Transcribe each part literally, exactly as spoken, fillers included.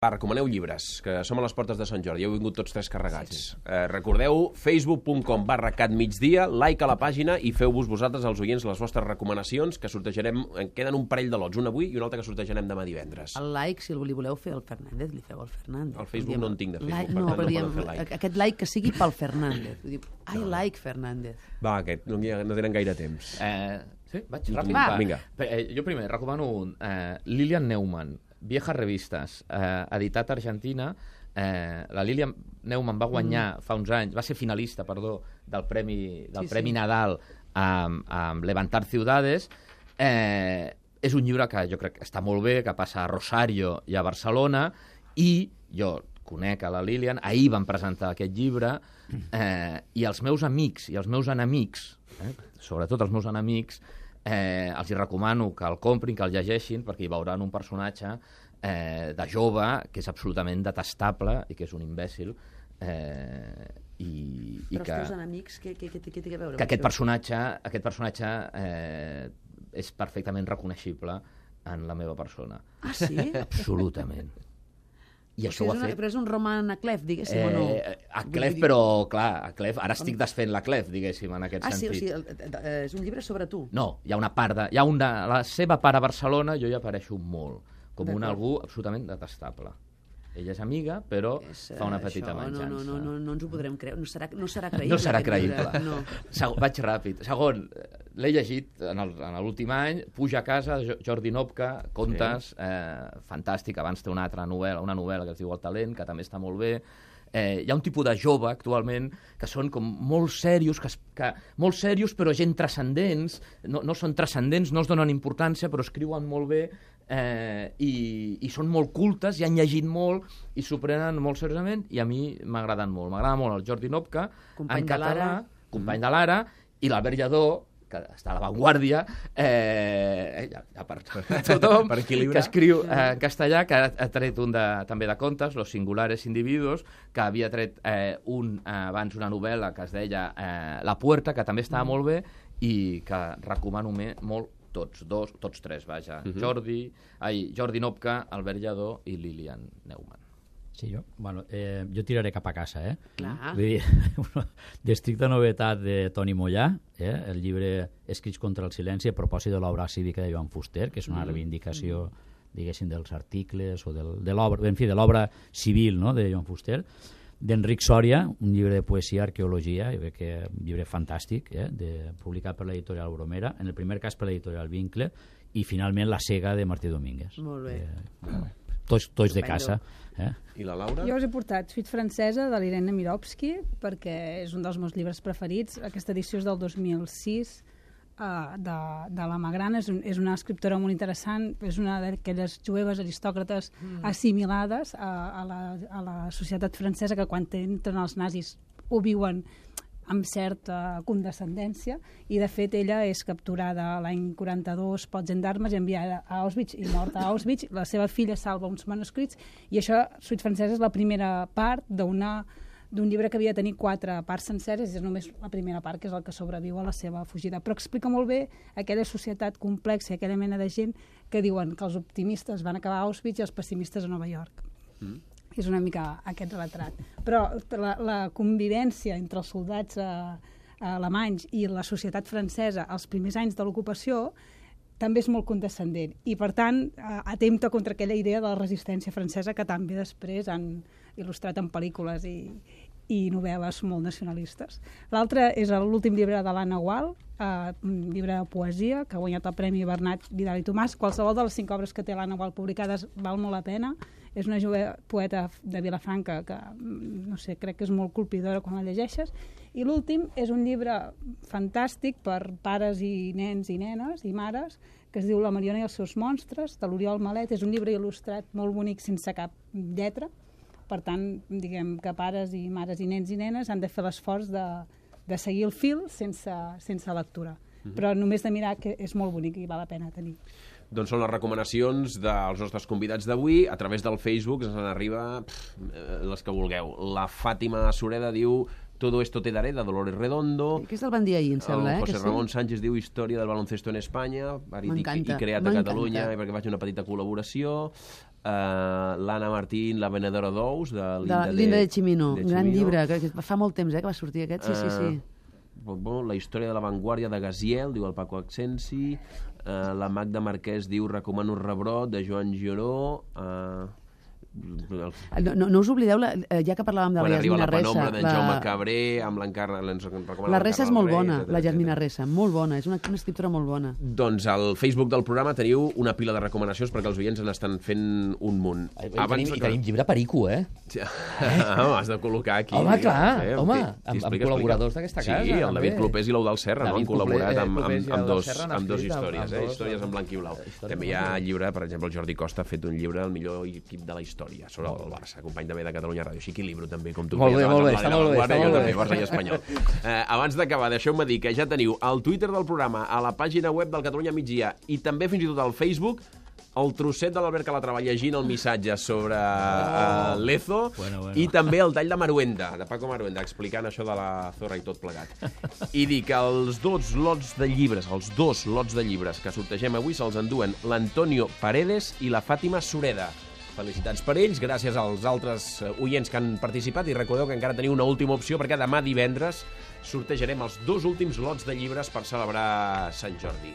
Va, recomaneu llibres, que som a les portes de Sant Jordi. Heu vingut tots tres carregats. Sí, sí. Eh, recordeu, facebook punt com barra catmigdia, like a la pàgina i feu-vos vosaltres, els oients, les vostres recomanacions, que sortejarem, en queden un parell de lots, un avui i un altre que sortejarem demà divendres. El like, si li voleu fer al Fernández, li feu al Fernández. Al Facebook diem, no en tinc de Facebook, like, per no, tant no diem, poden fer like. Aquest like que sigui pel Fernández. Diu, I no. like Fernández. Va, aquest, no, no tenen gaire temps. Eh, sí, vaig ràpid. Va. Vinga. Eh, jo primer recomano un, eh, Lilian Neumann, Viejas Revistes, eh, editat a Argentina. Eh, la Lilian Neumann va guanyar mm. fa uns anys, va ser finalista, perdó, del Premi, del sí, Premi sí. Nadal amb, amb Levantar Ciudades. Eh, és un llibre que jo crec que està molt bé, que passa a Rosario i a Barcelona, i jo conec a la Lilian, ahir van presentar aquest llibre, eh, i els meus amics i els meus enemics, eh, sobretot els meus enemics, Eh, els hi recomano que el comprin, que el llegeixin, perquè hi veuran un personatge eh, de jove que és absolutament detestable i que és un imbècil. Eh, i, i Però que, els teus enemics, què, què, què, què té a veure? Que aquest personatge, aquest personatge eh, és perfectament reconeixible en la meva persona. Ah, sí? Absolutament. I o això sigui, ho ha una, fet... Però és un roman a clef, diguéssim, eh, o no? A clef, però, clar, a clef, ara estic desfent la clef, diguéssim, en aquest ah, sentit. Ah, sí, o sigui, és un llibre sobre tu? No, hi ha una part de... Hi ha una, la seva part a Barcelona, jo hi apareixo molt, com un algú absolutament detestable. Ella és amiga, però és, uh, fa una petita això, venjança. No, no, no, no ens ho podrem creure. No serà, no serà creïble. No serà creïble. No. Segon, vaig ràpid. Segon, l'he llegit en l'últim any, Puja a casa, Jordi Nopka, contes, sí. eh, fantàstic. Abans té una altra novel·la, una novel·la que es diu El talent, que també està molt bé. Eh, hi ha un tipus de jove actualment que són com molt serios, que, que, molt serios però gent transcendents, no, no són transcendents, no es donen importància, però escriuen molt bé, eh, i, i són molt cultes, i han llegit molt, i s'ho prenen molt seriosament, i a mi m'agraden molt. M'agrada molt el Jordi Nopka, company en català, de company de l'Ara, i l'Albert Lledó, que està a l'avantguàrdia, eh, ja, ja per tothom, per que escriu eh, en castellà, que ha, ha tret un de, també de contes, Los singulares individuos, que havia tret eh, un, eh, abans una novel·la que es deia eh, La puerta, que també estava mm. molt bé, i que recomano me, molt tots, dos, tots tres, vaja, uh-huh. Jordi, ai, Jordi Nopka, Albert Lledó i Lilian Neumann. Sí, jo, bueno, eh, jo tiraré cap a casa, eh? Clar. Vull dir, d'estricta novetat de Toni Mollà, eh? El llibre Escrits contra el silenci a propòsit de l'obra cívica de Joan Fuster, que és una reivindicació, diguéssim, dels articles o del, de l'obra, en fi, de l'obra civil, no?, de Joan Fuster. D'Enric Sòria, un llibre de poesia, arqueologia, jo crec que un llibre fantàstic, eh? de, publicat per l'editorial Bromera, en el primer cas per l'editorial Vincle, i finalment La cega de Martí Domínguez. Molt bé. Eh, tots, tots de casa. Eh? I la Laura? Jo us he portat Suite francesa de l'Irene Mirovski, perquè és un dels meus llibres preferits. Aquesta edició és del dos mil sis, uh, de, de la Magrana. És, un, és una escriptora molt interessant, és una d'aquelles jueves aristòcrates mm. assimilades a, a, la, a la societat francesa, que quan entren els nazis ho viuen amb certa condescendència, i de fet ella és capturada l'any quaranta-dos pels gendarmes i enviada a Auschwitz i morta a Auschwitz. La seva filla salva uns manuscrits, i això, Suite francesa, és la primera part d'una d'un llibre que havia de tenir quatre parts senceres, i és només la primera part, que és el que sobreviu a la seva fugida. Però explica molt bé aquella societat complexa, aquella mena de gent que diuen que els optimistes van acabar a Auschwitz i els pessimistes a Nova York. Mm. És una mica aquest retrat. Però la, la convivència entre els soldats eh, alemanys i la societat francesa als primers anys de l'ocupació també és molt condescendent, i per tant eh, atempta contra aquella idea de la resistència francesa que també després han il·lustrat en pel·lícules i, i novel·les molt nacionalistes. L'altre és l'últim llibre de l'Anna Gual, eh, un llibre de poesia que ha guanyat el Premi Bernat Vidal i Tomàs. Qualsevol de les cinc obres que té l'Anna Gual publicades val molt la pena. És una jove poeta de Vilafranca que, no sé, crec que és molt colpidora quan la llegeixes. I l'últim és un llibre fantàstic per pares i nens i nenes i mares, que es diu La Mariona i els seus monstres, de l'Oriol Malet. És un llibre il·lustrat molt bonic sense cap lletra. Per tant, diguem que pares i mares i nens i nenes han de fer l'esforç de, de seguir el fil sense, sense lectura. Mm-hmm. Però només de mirar, que és molt bonic i val la pena tenir. Doncs són les recomanacions dels nostres convidats d'avui. A través del Facebook ens n'arriba les que vulgueu. La Fàtima Sureda diu Todo esto te daré, de Dolores Redondo. Aquest el van dir ahir, em sembla, el eh? José que Ramon sí? Sánchez diu Història del baloncesto en Espanya, i, i creat a m'encanta. Catalunya, perquè faig una petita col·laboració. uh, l'Anna Martín, La venedora d'ous, de Linda De de, Linda de Chimino, de un gran Chimino. llibre, que que fa molt temps eh, que va sortir aquest, sí, sí, sí. Uh, bon, la història de l'avantguàrdia de Gaziel, diu el Paco Accensi. Uh, la Magda Marquès diu Recomano Rebrot, de Joan Giró. Uh, No, no, no us oblideu, la, ja que parlàvem de Quan la arriba Yasmina la penombra Ressa. d'en la... Jaume Cabré, amb l'encarna... La Ressa és molt bona, la Yasmina Ressa, molt bona, és una, una escriptora molt bona. Doncs al Facebook del programa teniu una pila de recomanacions perquè els oients en estan fent un munt. I, tenim, I tenim llibre perico, eh? Sí. Oh, has de col·locar aquí. Home, clar, Eh, home, t'hi- amb- t'hi amb col·laboradors d'aquesta casa, Sí, el també. David Clopés i l'Eudal Serra no? David han col·laborat Clopé- amb, amb, Clopés i amb, Eudal dos, Serra han amb dos escrit amb- històries, amb eh? dos- històries en blanc i blau. històries També en hi ha blanc i llibre, per exemple, el Jordi Costa ha fet un llibre, el millor equip de la història, sobre el Barça, company també de Catalunya Ràdio. Així que libro també, com tu Molt bé, feies molt bé, abans està amb la molt bé, Vanguardia, està jo molt també, bé. Barça i Espanyol. Eh, abans d'acabar, deixeu-me dir que ja teniu el Twitter del programa, a la pàgina web del Catalunya Migdia i també fins i tot al Facebook el trosset de l'Albert Calatrava llegint el missatge sobre uh, Lezo Bueno, bueno. i també el tall de Maruenda, de Paco Maruenda, explicant això de la Zorra i tot plegat. I dir que els dos lots de llibres, els dos lots de llibres que sortegem avui se'ls enduen l'Antonio Paredes i la Fàtima Sureda. Felicitats per ells, gràcies als altres oients que han participat i recordeu que encara teniu una última opció perquè demà divendres sortejarem els dos últims lots de llibres per celebrar Sant Jordi.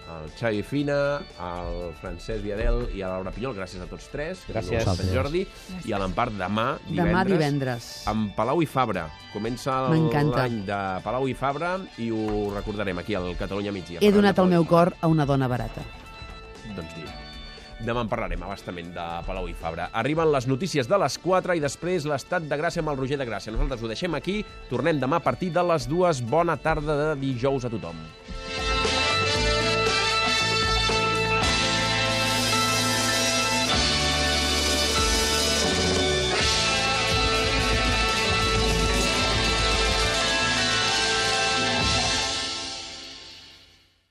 El Xavi Fina, el Francesc Viadel i a Laura Pinyol, gràcies a tots tres. Gràcies. A Sant Jordi. I a l'Empart demà, divendres. Demà divendres. Amb Palau i Fabra. Comença M'encanta. l'any de Palau i Fabra i ho recordarem aquí al Catalunya Migdia. He donat el Parlant de meu Palau i cor a una dona barata. Fabra. Doncs mira. Demà en parlarem abastament de Palau i Fabra. Arriben les notícies de les quatre i després l'estat de Gràcia amb el Roger de Gràcia. Nosaltres ho deixem aquí. Tornem demà a partir de les dues. Bona tarda de dijous a tothom.